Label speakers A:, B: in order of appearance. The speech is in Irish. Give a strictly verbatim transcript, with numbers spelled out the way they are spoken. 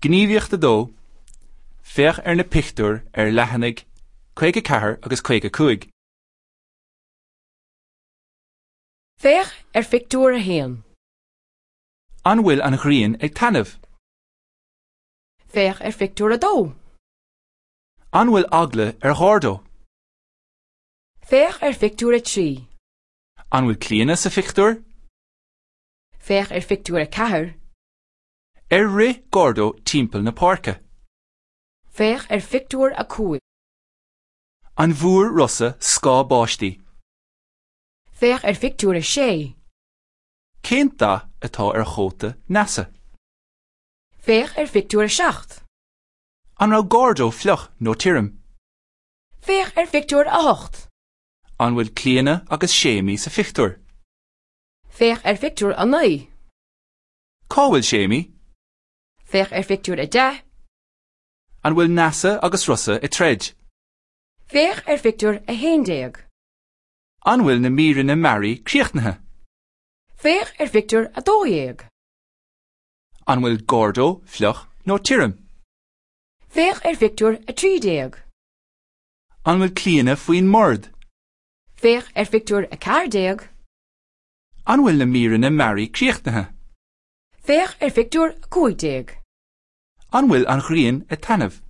A: Gníomhaíocht a dó, Féach ar na pictiúir ar leathanaigh caoga ceathair agus caoga cúig.
B: Féach ar phictiúr a haon.
A: An bhfuil an ghrian ag taitneamh?
B: Féach ar phictiúr a dó.
A: An bhfuil eagla ar Ghordo?
B: Féach ar phictiúr a trí.
A: An bhfuil Clíona sa phictiúr?
B: Féach ar phictiúr a ceathair.
A: Ar rith Gordo timpeall na páirce?
B: Féach ar phictiúr a cúig.
A: An bhfuair Rosa scáth báistí?
B: Féach ar phictiúr a sé.
A: Cén dath atá ar chóta Neasa?
B: Féach ar phictiúr a seacht.
A: An raibh Gordo fliuch nó tirim?
B: Féach ar phictiúr a hocht.
A: An bhfuil Clíona agus Séimí sa phictiúr?
B: Féach ar phictiúr a naoi.
A: Cá bhfuil Séimí?
B: Féach ar phictiúr a deich.
A: An bhfuil Neasa agus Rosa ag troid?
B: Féach ar phictiúr a haon déag.
A: An bhfuil na míreanna mearaí críochnaithe?
B: Féach ar phictiúr a dó dhéag.
A: An bhfuil Gordo fliuch nó tirim?
B: Féach ar phictiúr a trí déag.
A: An bhfuil Clíona faoin mbord?
B: Féach ar phictiúr a ceathair déag.
A: An bhfuil na míreanna mearaí críochnaithe?
B: Féach ar phictiúr a cúig déag.
A: An bhfuil an ghrian ag taitneamh?